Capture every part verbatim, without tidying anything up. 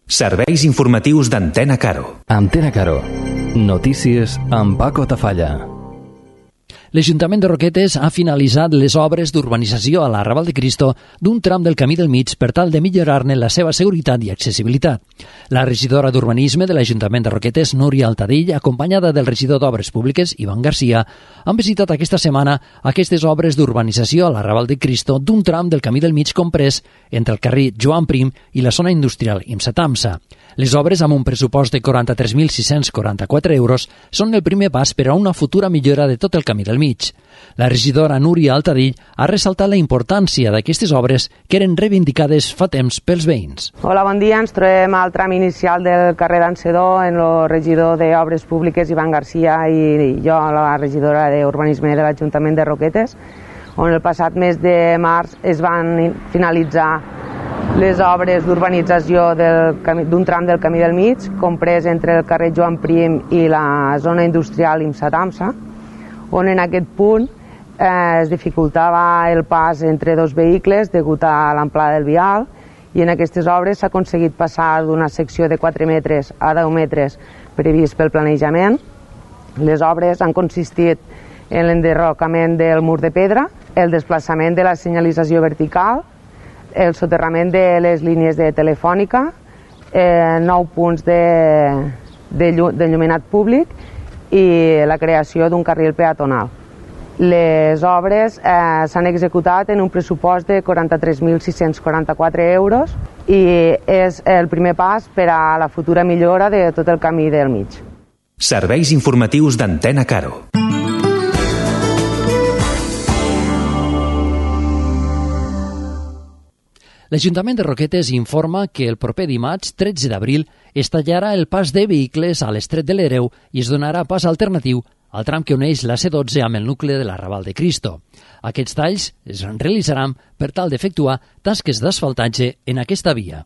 Serveis informatius d'Antena Caro. Antena Caro. Notícies amb Paco Tafalla. L'Ajuntament de Roquetes ha finalitzat les obres d'urbanització a la Raval de Cristo d'un tram del Camí del Mig per tal de millorar-ne la seva seguretat i accessibilitat. La regidora d'Urbanisme de l'Ajuntament de Roquetes, Núria Altadill, acompanyada del regidor d'Obres Públiques, Ivan Garcia, han visitat aquesta setmana aquestes obres d'urbanització a la Raval de Cristo d'un tram del Camí del Mig comprès entre el carrer Joan Prim i la zona industrial Imsa-Tamsa. Les obres, amb un pressupost de quaranta-tres mil sis-cents quaranta-quatre euros, són el primer pas per a una futura millora de tot el Camí del Mig. La regidora Núria Altadill ha ressaltat la importància d'aquestes obres que eren reivindicades fa temps pels veïns. Hola, bon dia. Ens trobem al tram inicial del carrer d'Encedó en el regidor d'Obres Públiques, Ivan Garcia, i jo, la regidora d'Urbanisme de l'Ajuntament de Roquetes, on el passat mes de març es van finalitzar les obres d'urbanització d'un tram del Camí del Mig, comprès entre el carrer Joan Prim i la zona industrial Imsa-Tamsa, on en aquest punt eh, es dificultava el pas entre dos vehicles degut a l'amplada del vial, i en aquestes obres s'ha aconseguit passar d'una secció de quatre metres a deu metres previst pel planejament. Les obres han consistit en l'enderrocament del mur de pedra, el desplaçament de la senyalització vertical, el soterrament de les línies de telefònica, eh, nou punts d'enllumenat públic i la creació d'un carril peatonal. Les obres eh, s'han executat en un pressupost de quaranta-tres mil sis-cents quaranta-quatre euros i és el primer pas per a la futura millora de tot el Camí del Mig. Serveis informatius d'Antena Caro. L'Ajuntament de Roquetes informa que el proper dimarts, tretze d'abril, es tallarà el pas de vehicles a l'Estret de l'Hereu i es donarà pas alternatiu al tram que uneix la C dotze amb el nucli de la Raval de Cristo. Aquests talls es realitzaran per tal d'efectuar tasques d'asfaltatge en aquesta via.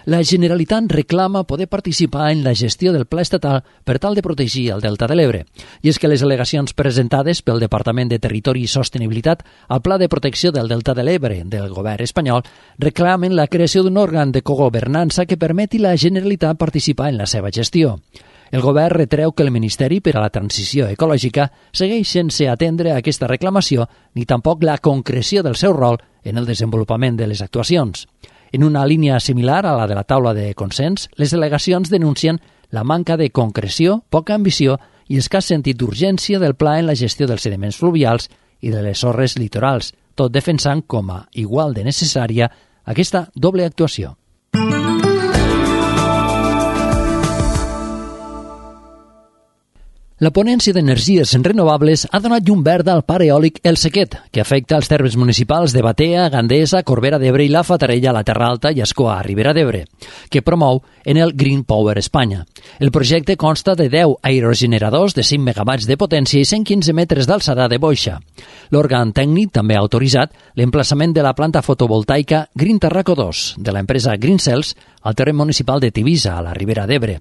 La Generalitat reclama poder participar en la gestió del Pla Estatal per tal de protegir el Delta de l'Ebre. I és que les al·legacions presentades pel Departament de Territori i Sostenibilitat al Pla de Protecció del Delta de l'Ebre del govern espanyol reclamen la creació d'un òrgan de cogovernança que permeti a la Generalitat participar en la seva gestió. El govern retreu que el Ministeri per a la Transició Ecològica segueix sense atendre aquesta reclamació ni tampoc la concreció del seu rol en el desenvolupament de les actuacions. En una línia similar a la de la taula de consens, les delegacions denuncien la manca de concreció, poca ambició i escàs sentit d'urgència del pla en la gestió dels sediments fluvials i de les sorres litorals, tot defensant com a igual de necessària aquesta doble actuació. La ponència d'energies renovables ha donat llum verda al parc eòlic El Sequet, que afecta els termes municipals de Batea, Gandesa, Corbera d'Ebre i la Fatarella, la Terra Alta i Escoà, Ribera d'Ebre, que promou en el Green Power Espanya. El projecte consta de deu aerogeneradors de cinc megawatts de potència i cent quinze metres d'alçada de boixa. L'òrgan tècnic també ha autoritzat l'emplaçament de la planta fotovoltaica Green Tarraco dos de l'empresa Green Cells al terreny municipal de Tivisa, a la Ribera d'Ebre.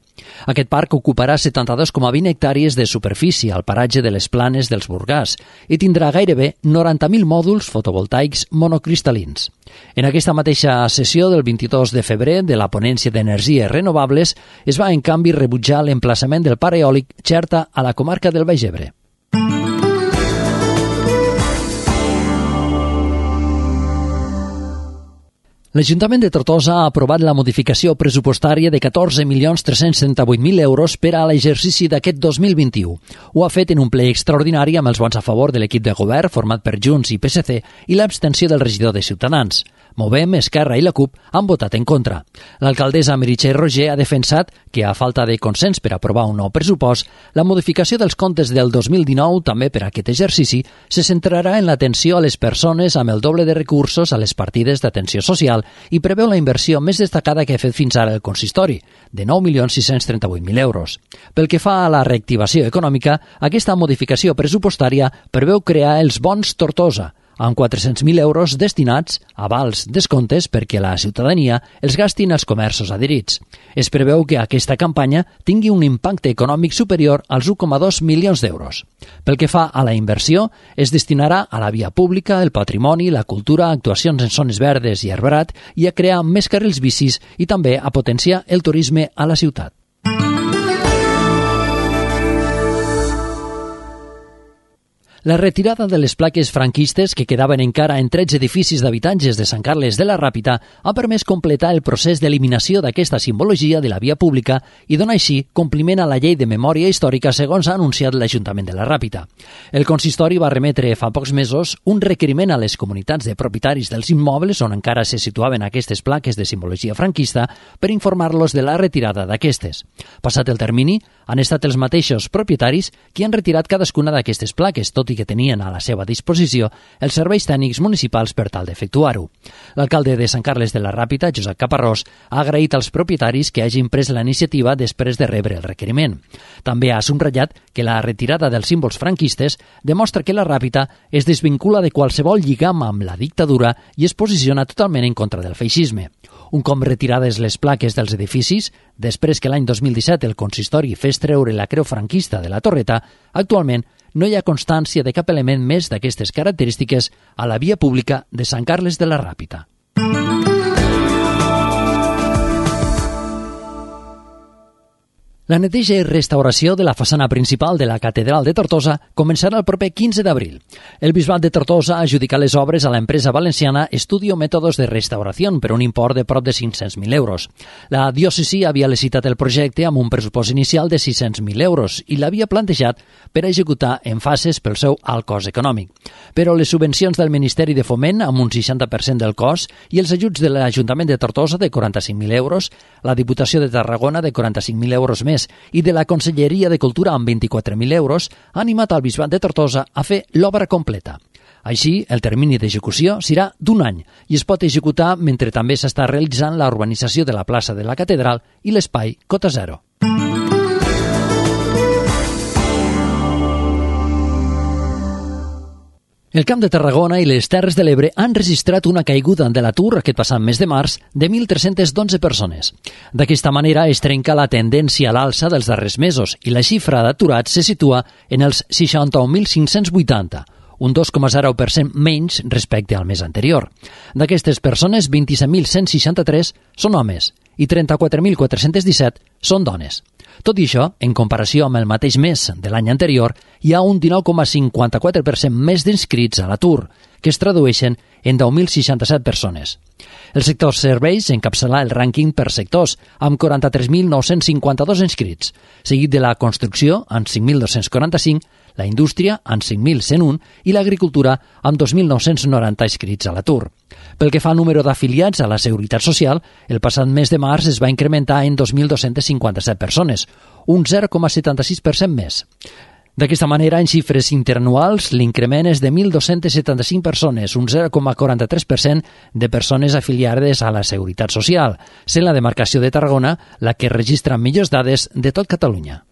Aquest parc ocuparà setanta-dos coma vint hectàrees de superfície al paratge de les Planes dels Burgàs i tindrà gairebé noranta mil mòduls fotovoltaics monocristal·lins. En aquesta mateixa sessió del vint-i-dos de febrer de la ponència d'energies renovables es va, en canvi, rebutjar l'emplaçament del parc eòlic Xerta a la comarca del Baix Ebre. L'Ajuntament de Tortosa ha aprovat la modificació pressupostària de catorze milions tres-cents trenta-vuit mil euros per a l'exercici d'aquest dos mil vint-i-u. Ho ha fet en un ple extraordinari amb els vots a favor de l'equip de govern format per Junts i P S C i l'abstenció del regidor de Ciutadans. Movem, Esquerra i la CUP han votat en contra. L'alcaldessa Meritxell Roger ha defensat que, a falta de consens per aprovar un nou pressupost, la modificació dels comptes del dos mil dinou, també per a aquest exercici, se centrarà en l'atenció a les persones amb el doble de recursos a les partides d'atenció social i preveu la inversió més destacada que ha fet fins ara el consistori, de nou milions sis-cents trenta-vuit mil euros. Pel que fa a la reactivació econòmica, aquesta modificació pressupostària preveu crear els bons Tortosa, amb quatre-cents mil euros destinats a vals descomptes perquè la ciutadania els gastin als comerços adherits. Es preveu que aquesta campanya tingui un impacte econòmic superior als u coma dos milions d'euros. Pel que fa a la inversió, es destinarà a la via pública, el patrimoni, la cultura, actuacions en zones verdes i arbrat i a crear més carrils bicis i també a potenciar el turisme a la ciutat. La retirada de les plaques franquistes que quedaven encara en tretze edificis d'habitatges de Sant Carles de la Ràpita ha permès completar el procés d'eliminació d'aquesta simbologia de la via pública i donar així compliment a la llei de memòria històrica segons ha anunciat l'Ajuntament de la Ràpita. El consistori va remetre fa pocs mesos un requeriment a les comunitats de propietaris dels immobles on encara se situaven aquestes plaques de simbologia franquista per informar-los de la retirada d'aquestes. Passat el termini, han estat els mateixos propietaris qui han retirat cadascuna d'aquestes plaques, tot i que tenien a la seva disposició els serveis tècnics municipals per tal d'efectuar-ho. L'alcalde de Sant Carles de la Ràpita, Josep Caparrós, ha agraït als propietaris que hagin pres la iniciativa després de rebre el requeriment. També ha subratllat que la retirada dels símbols franquistes demostra que la Ràpita es desvincula de qualsevol lligam amb la dictadura i es posiciona totalment en contra del feixisme. Un cop retirades les plaques dels edificis, després que l'any dos mil disset el consistori fes treure la creu franquista de la torreta, actualment no hi ha constància de cap element més d'aquestes característiques a la via pública de Sant Carles de la Ràpita. La neteja i restauració de la façana principal de la Catedral de Tortosa començarà el proper quinze d'abril. El Bisbat de Tortosa ha adjudicat les obres a l'empresa valenciana Estudio Métodos de Restauración per un import de prop de cinc-cents mil euros. La diòcesi havia licitat el projecte amb un pressupost inicial de sis-cents mil euros i l'havia plantejat per executar en fases pel seu alt cost econòmic. Però les subvencions del Ministeri de Foment, amb un seixanta per cent del cost, i els ajuts de l'Ajuntament de Tortosa de quaranta-cinc mil euros, la Diputació de Tarragona de quaranta-cinc mil euros més i de la Conselleria de Cultura amb vint-i-quatre mil euros ha animat el Bisbat de Tortosa a fer l'obra completa. Així, el termini d'execució serà d'un any i es pot executar mentre també s'està realitzant la urbanització de la plaça de la Catedral i l'espai Cota Zero. El Camp de Tarragona i les Terres de l'Ebre han registrat una caiguda de l'atur aquest passat mes de març de mil tres-cents dotze persones. D'aquesta manera es trenca la tendència a l'alça dels darrers mesos i la xifra d'aturats se situa en els seixanta-un mil cinc-cents vuitanta, un dos coma zero per cent menys respecte al mes anterior. D'aquestes persones, vint-i-set mil cent seixanta-tres són homes i trenta-quatre mil quatre-cents disset són dones. Tot i això, en comparació amb el mateix mes de l'any anterior, hi ha un dinou coma cinquanta-quatre per cent més d'inscrits a l'atur, que es tradueixen en deu mil seixanta-set persones. El sector serveis encapçala el rànquing per sectors, amb quaranta-tres mil nou-cents cinquanta-dos inscrits, seguit de la construcció, amb cinc mil dos-cents quaranta-cinc, la indústria, amb cinc mil cent un, i l'agricultura, amb dos mil nou-cents noranta inscrits a l'atur. Pel que fa al número d'afiliats a la Seguretat Social, el passat mes de març es va incrementar en dos mil dos-cents cinquanta-set persones, un zero coma setanta-sis per cent més. D'aquesta manera, en xifres interanuals, l'increment és de mil dos-cents setanta-cinc persones, un zero coma quaranta-tres per cent de persones afiliades a la Seguretat Social, sent la demarcació de Tarragona la que registra millors dades de tot Catalunya.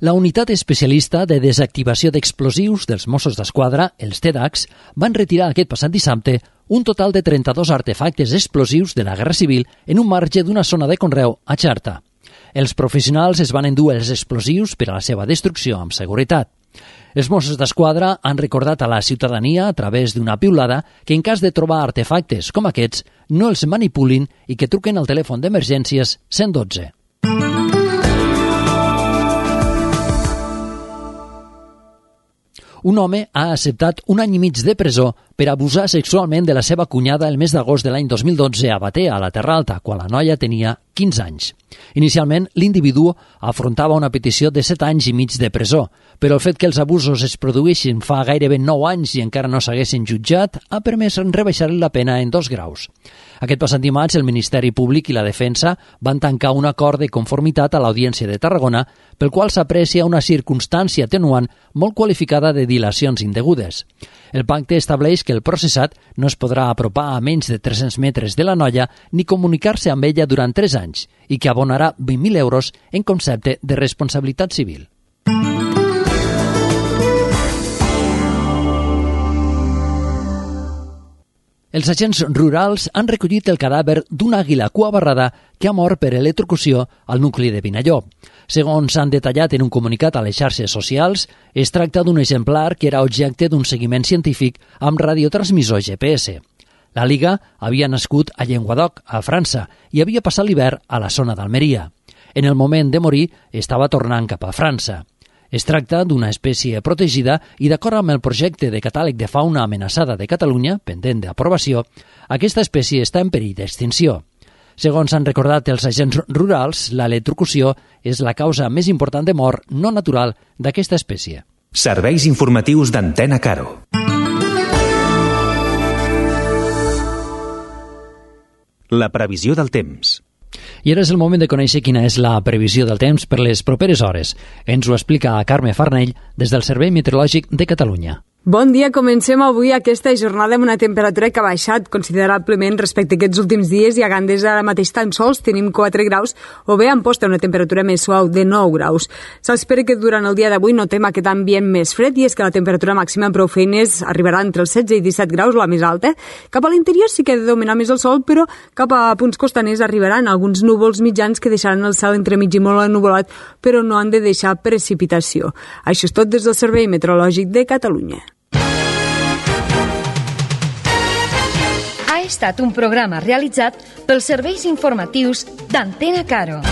La unitat especialista de desactivació d'explosius dels Mossos d'Esquadra, els T DACs, van retirar aquest passat dissabte un total de trenta-dos artefactes explosius de la Guerra Civil en un marge d'una zona de conreu a Xarta. Els professionals es van endur els explosius per a la seva destrucció amb seguretat. Els Mossos d'Esquadra han recordat a la ciutadania a través d'una piulada que en cas de trobar artefactes com aquests no els manipulin i que truquen al telèfon d'emergències cent dotze. Un home ha acceptat un any i mig de presó per abusar sexualment de la seva cunyada el mes d'agost de l'any dos mil dotze a Batea, a la Terra Alta, quan la noia tenia quinze anys. Inicialment, l'individu afrontava una petició de set anys i mig de presó, però el fet que els abusos es produïssin fa gairebé nou anys i encara no s'haguessin jutjat ha permès rebaixar-li la pena en dos graus. Aquest passat dimarts, el Ministeri Públic i la Defensa van tancar un acord de conformitat a l'Audiència de Tarragona, pel qual s'aprecia una circumstància atenuant molt qualificada de dilacions indegudes. El pacte estableix que el processat no es podrà apropar a menys de tres-cents metres de la noia ni comunicar-se amb ella durant tres anys i que abonarà vint mil euros en concepte de responsabilitat civil. Els agents rurals han recollit el cadàver d'una àguila cua barrada que ha mort per electrocució al nucli de Vinalló. Segons s'han detallat en un comunicat a les xarxes socials, es tracta d'un exemplar que era objecte d'un seguiment científic amb radiotransmissor G P S. La Liga havia nascut a Llenguadoc, a França, i havia passat l'hivern a la zona d'Almeria. En el moment de morir, estava tornant cap a França. Es tracta d'una espècie protegida i, d'acord amb el projecte de catàleg de fauna amenaçada de Catalunya, pendent d'aprovació, aquesta espècie està en perill d'extinció. Segons han recordat els agents rurals, l'electrocució és la causa més important de mort no natural d'aquesta espècie. Serveis informatius d'Antena Caro. La previsió del temps. I ara és el moment de conèixer quina és la previsió del temps per les properes hores. Ens ho explica Carme Farnell des del Servei Meteorològic de Catalunya. Bon dia, comencem avui aquesta jornada amb una temperatura que ha baixat considerablement respecte a aquests últims dies i a Gandesa ara mateix tan sols tenim quatre graus o bé a Amposta una temperatura més suau de nou graus. S'espera que durant el dia d'avui notem aquest ambient més fred i és que la temperatura màxima en prou feines arribarà entre els setze i disset graus, la més alta. Cap a l'interior sí que ha de dominar més el sol, però cap a punts costaners arribaran alguns núvols mitjans que deixaran el cel entremig i molt ennuvolat, però no han de deixar precipitació. Això és tot des del Servei Meteorològic de Catalunya. Ha estat un programa realitzat pels serveis informatius d'Antena Caro.